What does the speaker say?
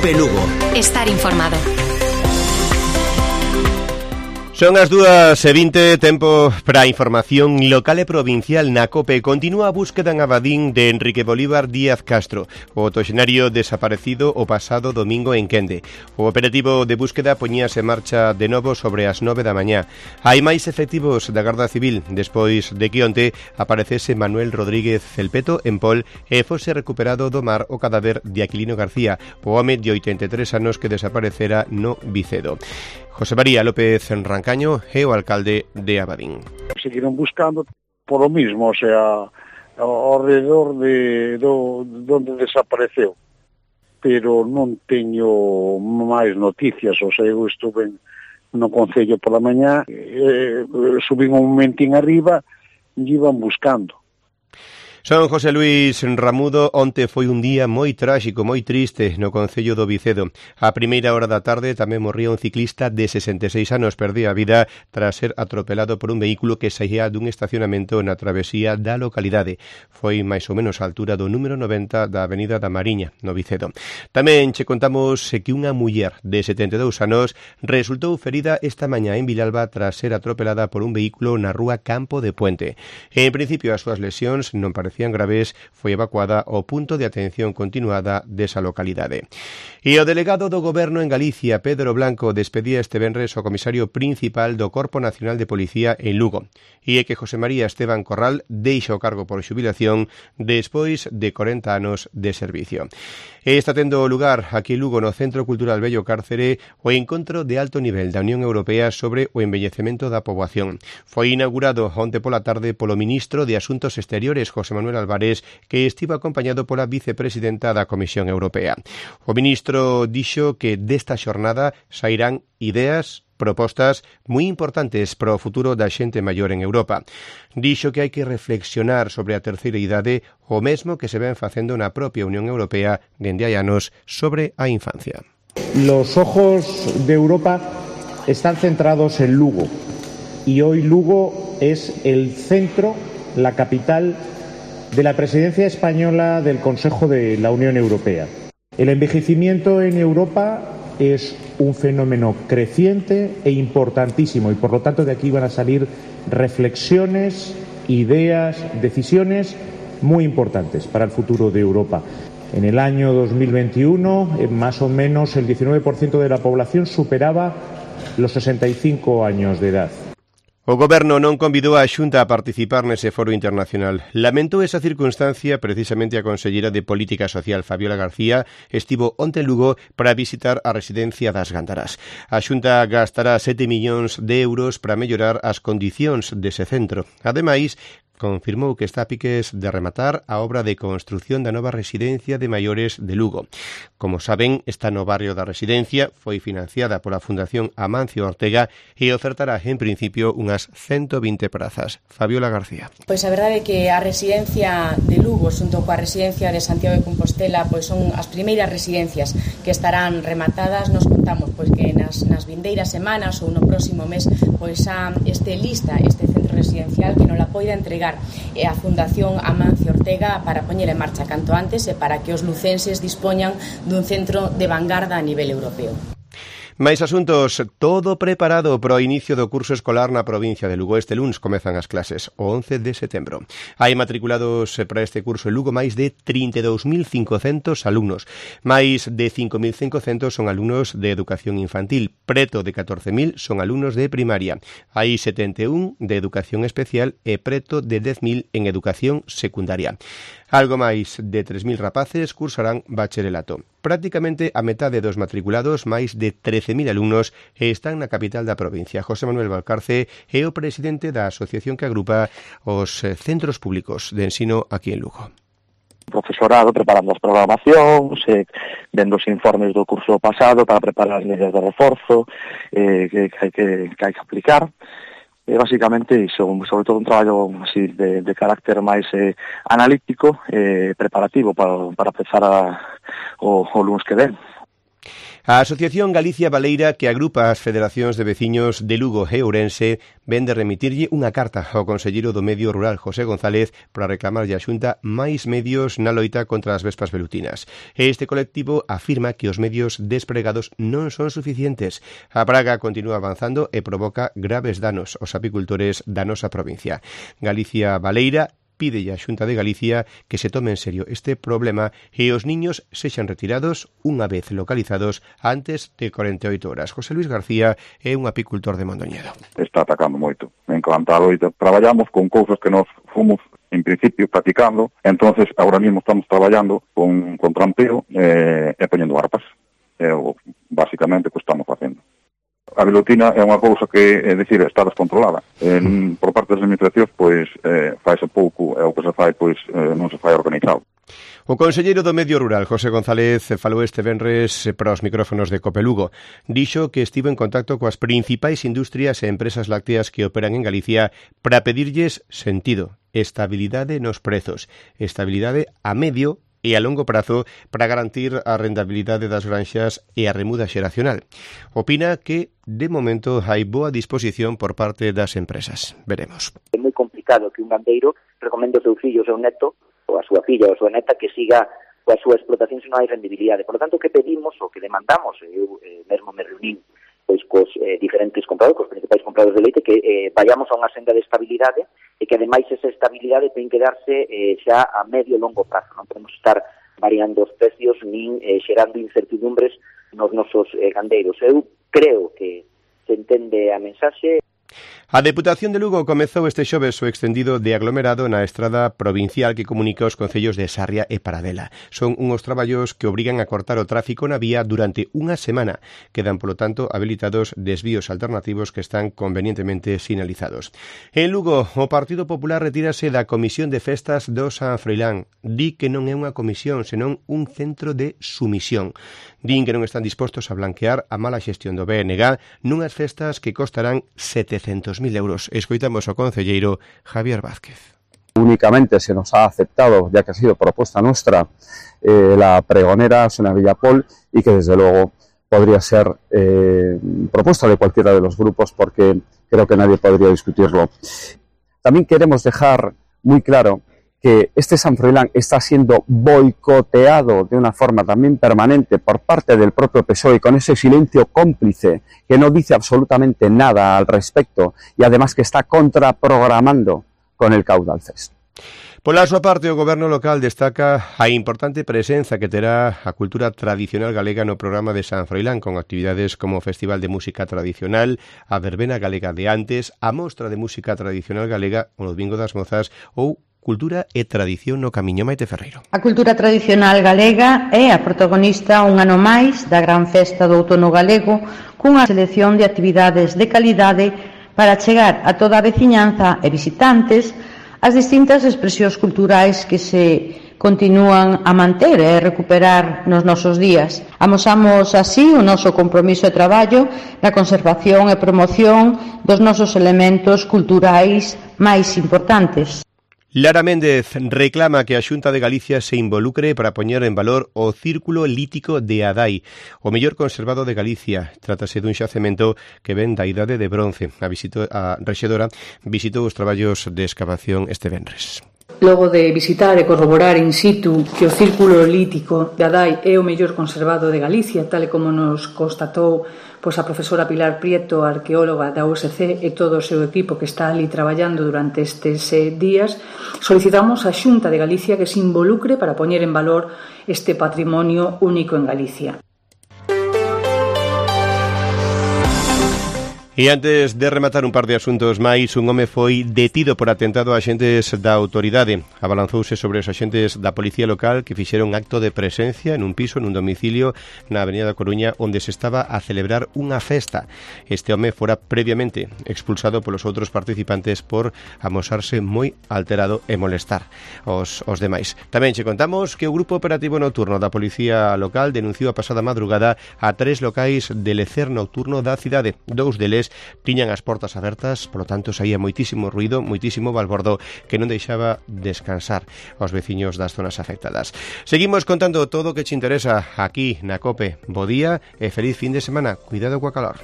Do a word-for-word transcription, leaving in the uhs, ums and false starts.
COPE Lugo. Estar informado. Son as dúas e vinte, tempo para a información local e provincial na COPE. Continúa a búsqueda en Abadín de Enrique Bolívar Díaz Castro, o octoxenario desaparecido o pasado domingo en Quende. O operativo de búsqueda poñíase en marcha de novo sobre as nove da mañá. Hai máis efectivos da Garda Civil despois de que onte aparecese Manuel Rodríguez Celpeto en Pol e fose recuperado do mar o cadáver de Aquilino García, o home de oitenta e tres anos que desaparecera no Vicedo. José María López Rancaño é o alcalde de Abadín. Seguiron buscando por lo mismo, o sea, alrededor de do, donde desapareceu. Pero non teño máis noticias, o sea, eu estuve no Concello pola mañá, eh, subín un momentín arriba e iban buscando. Son José Luis Ramudo. Onte foi un día moi tráxico, moi triste no Concello do Vicedo. A primeira hora da tarde tamén morría un ciclista de sesenta e seis anos, perdía a vida tras ser atropelado por un vehículo que saía dun estacionamento na travesía da localidade. Foi máis ou menos a altura do número noventa da Avenida da Mariña, no Vicedo. Tamén che contamos que unha muller de setenta e dous anos resultou ferida esta mañá en Vilalba tras ser atropelada por un vehículo na rúa Campo de Puente. En principio, as súas lesións non parecían graves, foi evacuada ao punto de atención continuada desa localidade. E o delegado do Goberno en Galicia, Pedro Blanco, despedía este venres o comisario principal do Corpo Nacional de Policía en Lugo. E é que José María Esteban Corral deixa o cargo por xubilación despois de corenta anos de servicio. E está tendo lugar aquí en Lugo, no Centro Cultural Bello Cárcere, o encontro de alto nivel da Unión Europea sobre o envellecemento da poboación. Foi inaugurado onte pola tarde polo ministro de Asuntos Exteriores, José Manuel Álvarez, que estivo acompañado pola vicepresidenta da Comisión Europea. O ministro dixo que desta xornada sairán ideas, propostas moi importantes para o futuro da xente maior en Europa. Dixo que hai que reflexionar sobre a terceira idade, o mesmo que se ven facendo na propia Unión Europea dende hai anos sobre a infancia. Los ojos de Europa están centrados en Lugo y hoy Lugo es el centro, la capital de la presidencia española del Consejo de la Unión Europea. El envejecimiento en Europa es un fenómeno creciente e importantísimo y por lo tanto de aquí van a salir reflexiones, ideas, decisiones muy importantes para el futuro de Europa. En el año dos mil veintiuno, más o menos el diecinueve por ciento de la población superaba los sesenta y cinco años de edad. O Goberno non convidou a Xunta a participar nese foro internacional. Lamentou esa circunstancia precisamente a consellera de Política Social, Fabiola García, estivo onte en Lugo para visitar a residencia das Gándaras. A Xunta gastará sete millóns de euros para mellorar as condicións dese centro. Ademais, confirmou que está a piques de rematar a obra de construción da nova residencia de maiores de Lugo. Como saben, está no barrio da residencia, foi financiada pola Fundación Amancio Ortega e ofertará en principio unhas ciento vinte prazas. Fabiola García. Pois a verdade é que a residencia de Lugo xunto coa residencia de Santiago de Compostela pois son as primeiras residencias que estarán rematadas. Nos contamos pois que nas, nas vindeiras semanas ou no próximo mes pois a este lista, este centro residencial que non la poida entregar e a Fundación Amancio Ortega para poñer en marcha canto antes e para que os lucenses dispoñan dun centro de vanguarda a nivel europeo. Mais asuntos, todo preparado para o inicio do curso escolar na provincia de Lugo. Este luns comezan as clases, o once de setembro. Hai matriculados para este curso en Lugo máis de trinta e dous mil cincocentos alumnos. Máis de cinco mil cincocentos son alumnos de educación infantil, preto de catorce mil son alumnos de primaria. Hai setenta e un de educación especial e preto de dez mil en educación secundaria. Algo máis de tres mil rapaces cursarán bacharelato. Prácticamente a metade dos matriculados, máis de trece mil alumnos, están na capital da provincia. José Manuel Valcarce é o presidente da asociación que agrupa os centros públicos de ensino aquí en Lugo. Profesorado preparando as programacións, eh, vendo os informes do curso pasado para preparar as medidas de reforzo eh, que, que, hai que, que hai que aplicar. E basicamente iso, sobre todo un traballo así de, de carácter máis eh, analítico e eh, preparativo para, para empezar a, o, o lunes que ven. A Asociación Galicia Baleira, que agrupa as federacións de veciños de Lugo e Ourense, ven de remitirlle unha carta ao conselleiro do Medio Rural, José González, para reclamarlle a Xunta máis medios na loita contra as vespas velutinas. Este colectivo afirma que os medios despregados non son suficientes. A praga continúa avanzando e provoca graves danos aos apicultores da nosa provincia. Galicia Baleira pide a Xunta de Galicia que se tome en serio este problema e os niños sexan retirados unha vez localizados antes de cuarenta e oito horas. José Luis García é un apicultor de Mondoñedo. Está atacando moito. En cuanto a loita, traballamos con cousas que nos fomos en principio practicando, entonces ahora mismo estamos traballando con, con trampeo eh, e poñendo arpas. É o, basicamente, o que estamos facendo. A velutina é unha cousa que, é dicir, está descontrolada. En, por parte das administracións, pois, eh, faise pouco, e o que se fai, pois, eh, non se fai organizado. O conselleiro do Medio Rural, José González, falou este venres para os micrófonos de Cope Lugo. Dixo que estivo en contacto coas principais industrias e empresas lácteas que operan en Galicia para pedirlles sentido, estabilidade nos prezos, estabilidade a medio e a longo prazo para garantir a rentabilidade das granxas e a remuda xeracional. Opina que, de momento, hai boa disposición por parte das empresas. Veremos. É moi complicado que un gandeiro recomende ao seu fillo, ao seu neto, ou a súa filla ou a súa neta que siga coa súa explotación se non hai rendibilidade. Por lo tanto, o que pedimos, o que demandamos, eu eh, mesmo me reunín pois cos eh, diferentes compradores, cos principais compradores de leite, que eh, vayamos a unha senda de estabilidade e que ademais esa estabilidade ten que darse eh, xa a medio e longo prazo. Non podemos estar variando os precios nin eh, xerando incertidumbres nos nosos eh, gandeiros. Eu creo que se entende a mensaxe. A Deputación de Lugo comezou este xoves o extendido de aglomerado na estrada provincial que comunica os concellos de Sarria e Paradela. Son unhos traballos que obrigan a cortar o tráfico na vía durante unha semana. Quedan, polo tanto, habilitados desvíos alternativos que están convenientemente sinalizados. En Lugo, o Partido Popular retírase da Comisión de Festas do San Froilán. Di que non é unha comisión, senón un centro de sumisión. Din que non están dispostos a blanquear a mala xestión do B N G nunhas festas que costarán setecentos mil euros. Escoitamos ao concelleiro Javier Vázquez. Únicamente se nos ha aceptado, ya que ha sido propuesta nuestra, eh, la pregonera Sonia Villapol, y que desde luego podría ser eh, propuesta de cualquiera de los grupos, porque creo que nadie podría discutirlo. También queremos dejar muy claro que este San Froilán está siendo boicoteado de una forma también permanente por parte del propio P S O E, con ese silencio cómplice que no dice absolutamente nada al respecto y además que está contraprogramando con el Caudal Fest. Pola súa parte, o Goberno local destaca a importante presenza que terá a cultura tradicional galega no programa de San Froilán, con actividades como o Festival de Música Tradicional, a Verbena Galega de Antes, a Mostra de Música Tradicional Galega, o Domingo das Mozas ou Cultura e Tradición no Camiño. Maite Ferreiro. A cultura tradicional galega é a protagonista un ano máis da gran festa do outono galego, cunha selección de actividades de calidade para chegar a toda a veciñanza e visitantes as distintas expresións culturais que se continúan a manter e recuperar nos nosos días. Amosamos así o noso compromiso de traballo na conservación e promoción dos nosos elementos culturais máis importantes. Lara Méndez reclama que a Xunta de Galicia se involucre para poñer en valor o Círculo Lítico de Adai, o mellor conservado de Galicia. Trátase dun xacemento que ven da idade de bronce. A, visito, a rexedora visitou os traballos de excavación este venres. Logo de visitar e corroborar in situ que o Círculo Lítico de Adai é o mellor conservado de Galicia, tal e como nos constatou pois a profesora Pilar Prieto, arqueóloga da U S C, e todo o seu equipo que está ali traballando durante estes eh, días, solicitamos á Xunta de Galicia que se involucre para poñer en valor este patrimonio único en Galicia. E antes de rematar un par de asuntos máis, un home foi detido por atentado a axentes da autoridade. Abalanzouse sobre os axentes da policía local que fixeron acto de presencia en un piso, nun domicilio na Avenida da Coruña, onde se estaba a celebrar unha festa. Este home fora previamente expulsado polos outros participantes por amosarse moi alterado e molestar os, os demais. Tamén che contamos que o Grupo Operativo Nocturno da Policía Local denunciou a pasada madrugada a tres locais de lecer nocturno da cidade. Dous deles veces tiñan as portas abertas, polo tanto saía moitísimo ruido, moitísimo balbordo que non deixaba descansar aos veciños das zonas afectadas. Seguimos contando todo o que che interesa aquí na COPE. Bo día e feliz fin de semana. Cuidado coa calor.